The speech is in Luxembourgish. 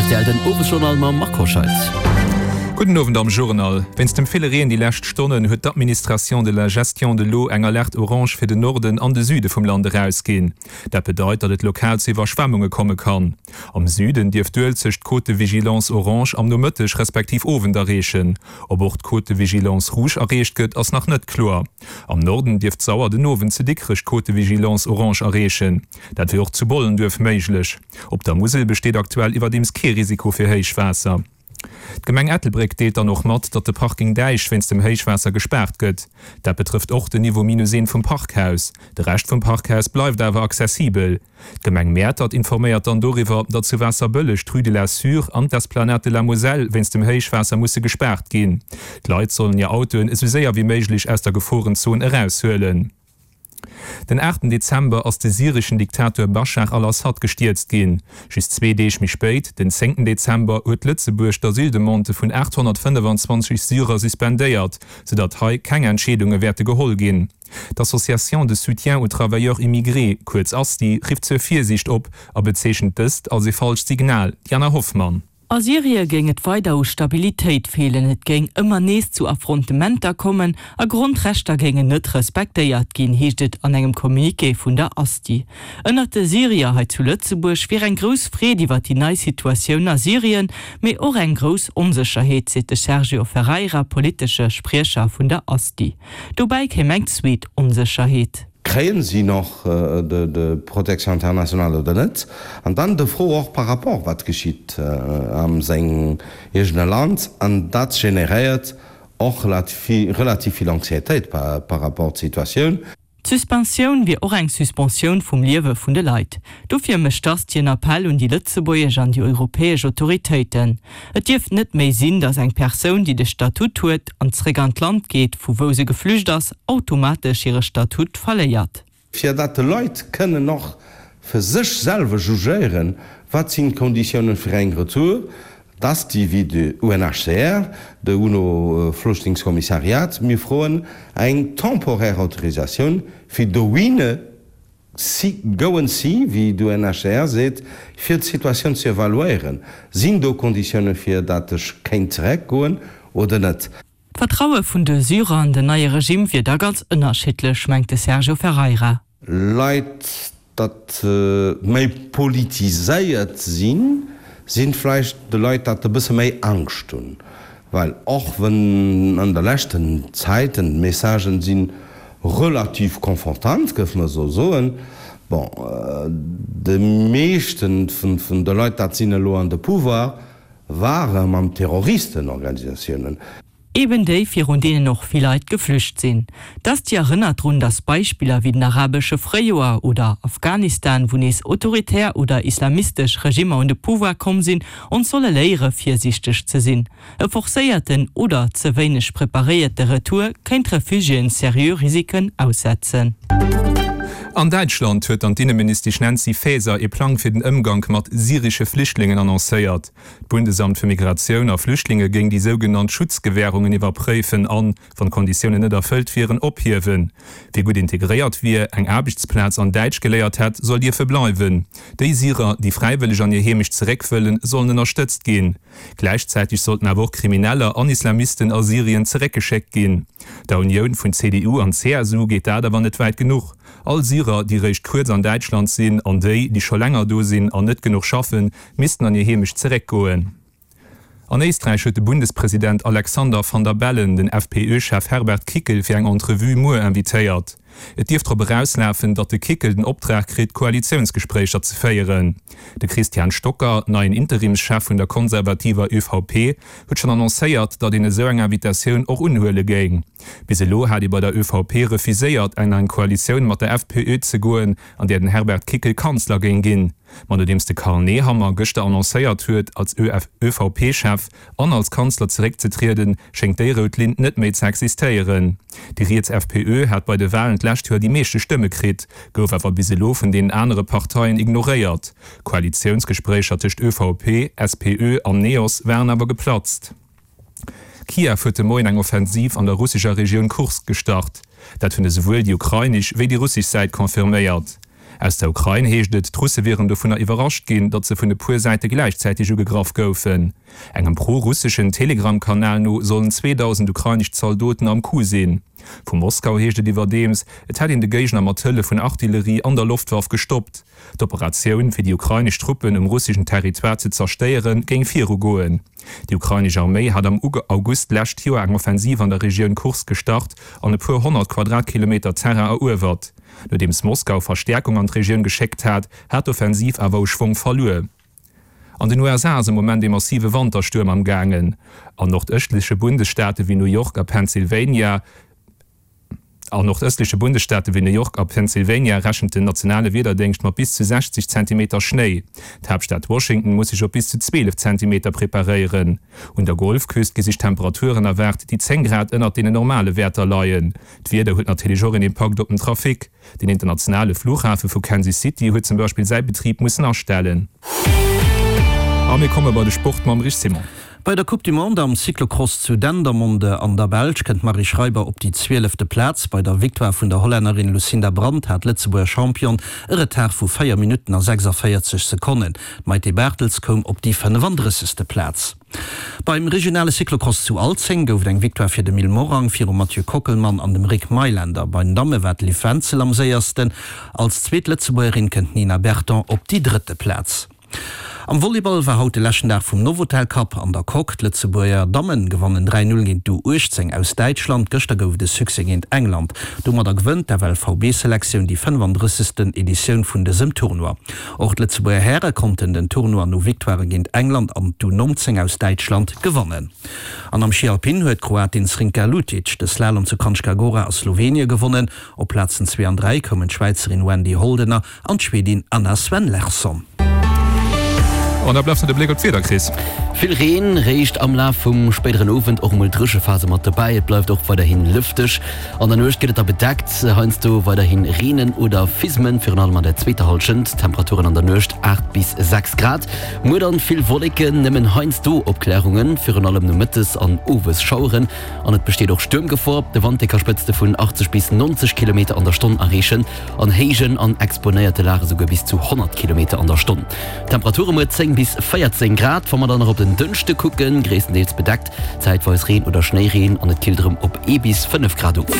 Rtl den Owesjournal mam Marc Hoscheid. Gudden Owend am Journal. Wéinst dem ville Reen déi lescht Stonnen huet d'Administration de la gestion de l'eau eng Alerte orange fir den Norden an de Süde vum Land erausginn. Dat bedeit, datt et lokal zu Iwwerschwemmunge komme kann. Am Süden dierft d'Uelzecht d'Cote de vigilance orange am Nomëtteg respektiv Owend erreechen. Ob och d'Cote de vigilance rouge erreecht gëtt, ass nach net kloer. Am Norden dierft d'Sauer den Owend zu Dikrech d'Cote de vigilance orange erreechen. Dat wier och zu Bollenduerf méiglech. Op der Musel besteet aktuell iwwerdeems kee Risiko fir Héichwaasser. D'Gemeng Ettelbréck deelt dann och mat, datt de Parking Däich wéinst dem Héichwaasser gespaart gëtt. Dat betrëfft och den Niveau minus eent vum Parkhaus. De Rescht vum Parkhaus bleift awer accessibel. D'Gemeng Mäertert informéiert dann doriwwer, datt zu Waasserbëlleg d'Rue de la Sûre an d'Esplanade de la Moselle wéinst dem Héichwaasser musse gespaart ginn. D'Leit sollen hir Autoen esou séier wéi méiglech aus der Geforenzon eraushuelen. Den aachten Dezember ass de syreschen Diktator Baschar al-Assad gestierzt ginn. Just zwee Deeg méi spéit, den zéngten Dezember, huet Lëtzebuerg d'Asyldemandë vun 825 Syrer suspendéiert, soudatt hei keng Entscheedunge wäerte geholl ginn. D'Association de soutien aux travailleurs immigrés, kuerz ASTI, rifft zur Virsiicht op a bezeechent dëst als ee falscht Signal. Diana Hoffmann. A Syrie géing et weider u Stabilitéit feelen, et géing ëmmer nees zu Affrontementer kommen a Grondrechter géingen net respektéiert ginn, heescht et an engem Communiqué vun der ASTI. Ënnert de Syrier hei zu Lëtzebuerg wier eng grouss Freed iwwer déi nei Situatioun a Syrien, mee och eng grouss Onsécherheet, seet de Sergio Ferreira, politesche Spriecher vun der ASTI. Dobäi kéim eng zweet Onsécherheet. Kréien si noch de Protection internationale oder net? An dann de Fro och par rapport wat geschitt am sengem eegene Land. An dat generéiert och relativ vill Anxiétéit par rapport d'Situatioun. D'Suspensioun wier och eng Suspensioun vum Liewe vun de Leit. Dofir mécht d'Asti en Appell un déi lëtzebuergesch an déi europäesch Autoritéiten. Et dierft net méi sinn, datt eng Persoun, déi de Statut huet an zréck an d'Land geet, vu wou se geflücht ass, automatesch hire Statut verléiert. Fir datt de Leit kënnen och fir sech selwer jugéieren, wat sinn d'Konditiounen fir eng Retour, d'Asti wéi de UNHCR, de UNO-Flüchtlingskommissariat, mir froen eng temporaire Autorisatioun fir dohinne Si goen si, wéi d'UNHCR seet, fir d'Situatioun ze evaluéieren. Sinn do Konditioune fir dat ech kéint zereckgoen oder net? D'Vertraue vun de Syrer an den neie Regime wier da ganz ënnerschiddlech, mengt de Sergio Ferreira. Leit, dat méi politiséiert sinn, sinn vläicht de Leit, dat e bësse méi Angscht hunn. Well och wann an der leschten Zäiten d'Messagen si relativ confortant, géife mer esou soen, bon, de meeschten vun de Leit, dat sinn elo an de Pouvoir, ware mam Terroristenorganisatiounen. Eben déi, virun deenen och vill Leit geflücht sinn. D'Asti erënnert drun, datt Beispiller wéi den arabesche Fréijoer oder Afghanistan, wou nees autoritär oder islamistesch Regimmer un de Pouvoir komm sinn, ons solle léiere virsiichteg ze sinn. E forcéierten oder ze wéineg preparéierte Retour kéint Refugiéen seriö Risiken aussetzen. An Däitschland huet dann d'Inneministesch Nancy Faeser ee Plang fir den Ëmgank mat syresche Flüchtlingen annoncéiert. D'Bundesamt fir Migratioun a Flüchtlinge géing déi sougenannt Schutzgewärungen iwwerpréifen an, wann d'Konditiounen net erfëllt wieren, ophiewen. Wie gutt integréiert wier, eng Aarbechtsplaz an Däitsch geléiert hätt, soll dierfe bleiwen. Déi Syrer, déi fräiwëlleg an hir Heemecht zeréck wëllen, sollen ënnerstëtzt ginn. Gläichzäiteg sollten awer och Krimineller an Islamisten a Syrien zeréckgeschéckt ginn. Der Unioun vun CDU an CSU geet dat awer net wäit genuch. All Syrer, déi réischt kuerz an Däitschland sinn an déi, déi scho länger do sinn an net genuch schaffen, missten an hir Heemecht zeréckgoen. An Éisträich huet de Bundespresident Alexander Van der Bellen den FPÖ-Chef Herbert Kickl fir eng Entrevue muer invitéiert. Et dierft drop erauslafen, datt de Kickl den Optrag kritt, Koalitiounsgespréicher ze féieren. De Christian Stocker, neien Interimschef vun der konservativer ÖVP, huet schonn annoncéiert, datt een esou eng Invitatioun och unhuele géing. Bis elo hat ee bei der ÖVP refuséiert, an eng Koalitioun mat der FPÖ ze goen, an där den Herbert Kickl Kanzler géing ginn. Ma nodeems de Karl Nehammer gëschter annoncéiert huet, als ÖVP-Chef an als Kanzler zeréckzetrieden, schéngt déi rout Linn net méi ze existéieren. Déi riets FPÖ hat bei de Walen d'lescht Joer déi meeschte Stëmme kritt, gouf awer bis elo vun deenen anere Parteien ignoréiert. Koalitiounsgespréicher tëscht ÖVP, SPÖ an Neos waren awer geplatzt. Kiew huet de Moien eng Offensiv an der russescher Regioun Kursk gestart. Dat hunn esouwuel déi ukrainesch wéi déi russesch Säit confirméiert. Aus der Ukrain heescht et, d'Russe wieren dovunner iwwerrascht ginn, datt se vun e puer Säite gläichzäiteg ugegraff goufen. Engem pro-russeschen Telegram-Kanal no sollen 2.000 ukrainesch Zaldoten am Coup sinn. Vu Moskau heescht et iwwerdeems, et hätt een de Géigner mat Hëllef vun Artillerie an der Loftwaff gestoppt. D'Operatioun, fir déi ukrainesch Truppen um russeschen Territoire ze zerstéieren, géing virugoen. Déi ukrainesch Arméi hat am August d'lescht Joer eng Offensiv an der Regioun Kursk gestart an e puer 100 Quadratkilometer Terrain eruewert. Nodeems Moskau Verstäerkung an d'Regioun geschéckt hat, hat d'Offensiv awer u Schwong verluer. An den USA ass am Moment ee massive Wanterstuerm am gaangen. An nordëstleche Bundesstaate wéi New York a Pennsylvania An nordëstleche Bundesstaate wéi New York a Pennsylvania rechent den nationale Wiederdéngscht mat bis zu 60 Zentimeter Schnéi. D'Haaptstad Washington muss sech op bis zu 12 Zentimeter preparéieren. Un der Golfküst gi sech Temperaturen erwaart, déi 10 Grad ënnert deenen normale Wäerter leien. D'Wieder huet natierlech och een Impakt op den Trafic. Den internationale Flughafe vu Kansas City huet zum Beispill säi Betrib mussen astellen. A mir komme bei de Sport mam Rich Simon. Bei der Coupe du Monde am Cyclocross zu Dendermonde an der Belsch kënnt d'Marie Schreiber op déi zwielefte Plaz. Bei der Victoire vun der Hollännerin Lucinda Brand hat d'Lëtzebuerger Championne e Retard vu 4 Minutten a 46 Sekonnen. D'Maïté Barthels koum op déi 35. Plaz. Beim regionale Cyclocross zu Alzeng gouf et eng Victoire fir de Mil Morang virum Mathieu Kockelmann an dem Rick Meylender. Bei den Damme war d'Liv Wenzel am séiersten. Als zweet Lëtzebuergerin kënnt d'Nina Berton op déi drëtte Plaz. Am Volleyball war haut de leschten Dag vum Novotel Cup an der Coque. D'Lëtzebuerger Dammen gewannen 3, 0 géint d'U 18 aus Däitschland. Gëschter gouf et e Succès géint England. Domadder gewënnt d'FLVB-Selektioun déi 35. Editioun vun dësem Tournoi. Och d'Lëtzebuerger Häre konnten den Tournoi no Victoirë géint England an d'U 19 aus Däitschland gewannen. An am Schi Alpin huet d'Kroatin Zrinka Lutic de Slalom zu Kranjska Gora a Slowenie gewonnen. Op Plazen 2 an 3 koumen d'Schwäizerin Wendy Holdener An d'Schwedin Anna Swenn-Larsson. An da bleift nach de Bléck op d'Wieder, Chris. Vill Reen réischt am Laf vum spéideren Owend, och emol Dréchephase mat dobäi. Et bleift och weiderhi lëfteg. An der Nuecht gëtt et da bedeckt, heiansdo weiderhi Reenen oder Fismen, virun allem an der zweeter Hallschent. Temperaturen an der Nuecht 8 bis 6 Grad. Muer dann vill Wolleken, nëmmen heiansdo Opklärungen, virun allem nomëttes an owes Schaueren an et besteet och Stuermgefor. De Wand, dee ka Spëtzte vun 80 bis 90 Kilometer an der Stonn erreechen. An héijen an exponéierte Lage souguer bis zu 100 Kilometer an der Stonn. Temperature muer 10 bis 14 Grad. Wa mer dann nach op den Dënschde kucken, gréisstendeels bedeckt, zäitweis Reen oder Schnéireen an et killt erëm op ee bis 5 Grad of.